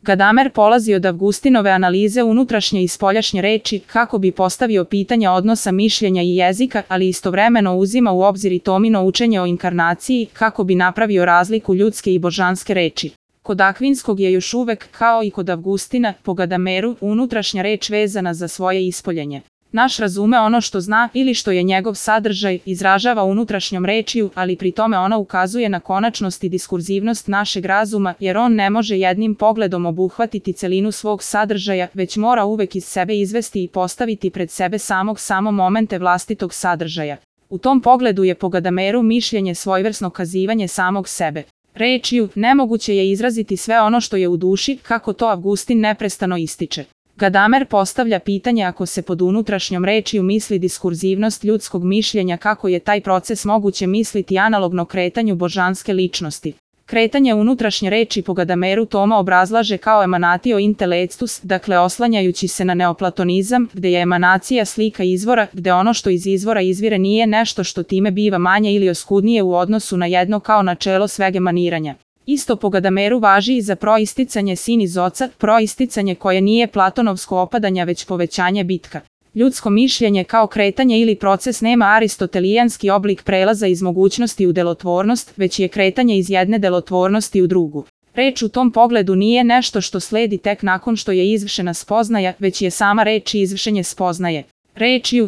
Gadamer polazi od Avgustinove analize unutrašnje i spoljašnje reči kako bi postavio pitanja odnosa mišljenja i jezika, ali istovremeno uzima u obzir i Tomino učenje o inkarnaciji kako bi napravio razliku ljudske i božanske reči. Kod Akvinskog je još uvek, kao i kod Avgustina, po Gadameru, unutrašnja reč vezana za svoje ispoljenje. Naš razume ono što zna ili što je njegov sadržaj, izražava unutrašnjom rečju, ali pri tome ona ukazuje na konačnost i diskurzivnost našeg razuma, jer on ne može jednim pogledom obuhvatiti celinu svog sadržaja, već mora uvek iz sebe izvesti i postaviti pred sebe samo momente vlastitog sadržaja. U tom pogledu je po Gadameru mišljenje svojevrsno kazivanje samog sebe. Rečju, nemoguće je izraziti sve ono što je u duši, kako to Avgustin neprestano ističe. Gadamer postavlja pitanje ako se pod unutrašnjom rečju misli diskurzivnost ljudskog mišljenja, kako je taj proces moguće misliti analogno kretanju božanske ličnosti. Kretanje unutrašnje reči po Gadameru Toma obrazlaže kao emanatio intellectus, dakle oslanjajući se na neoplatonizam, gde je emanacija slika izvora, gde ono što iz izvora izvire nije nešto što time biva manje ili oskudnije u odnosu na jedno kao načelo sveg emaniranja. Isto po Gadameru važi i za proisticanje sin iz oca, proisticanje koje nije platonovsko opadanje već povećanje bitka. Ljudsko mišljenje kao kretanje ili proces nema aristotelijanski oblik prelaza iz mogućnosti u delotvornost, već je kretanje iz jedne delotvornosti u drugu. Reč u tom pogledu nije nešto što sledi tek nakon što je izvršena spoznaja, već je sama reč i izvršenje spoznaje.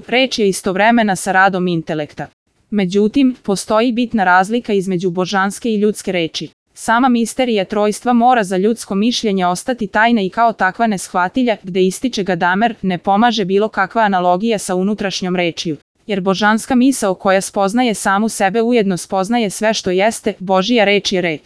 Reč je istovremena sa radom intelekta. Međutim, postoji bitna razlika između božanske i ljudske reči. Sama misterija trojstva mora za ljudsko mišljenje ostati tajna i kao takva neshvatilja, gde ističe Gadamer, ne pomaže bilo kakva analogija sa unutrašnjom rečju. Jer božanska misao koja spoznaje samu sebe ujedno spoznaje sve što jeste, Božija reč je reč.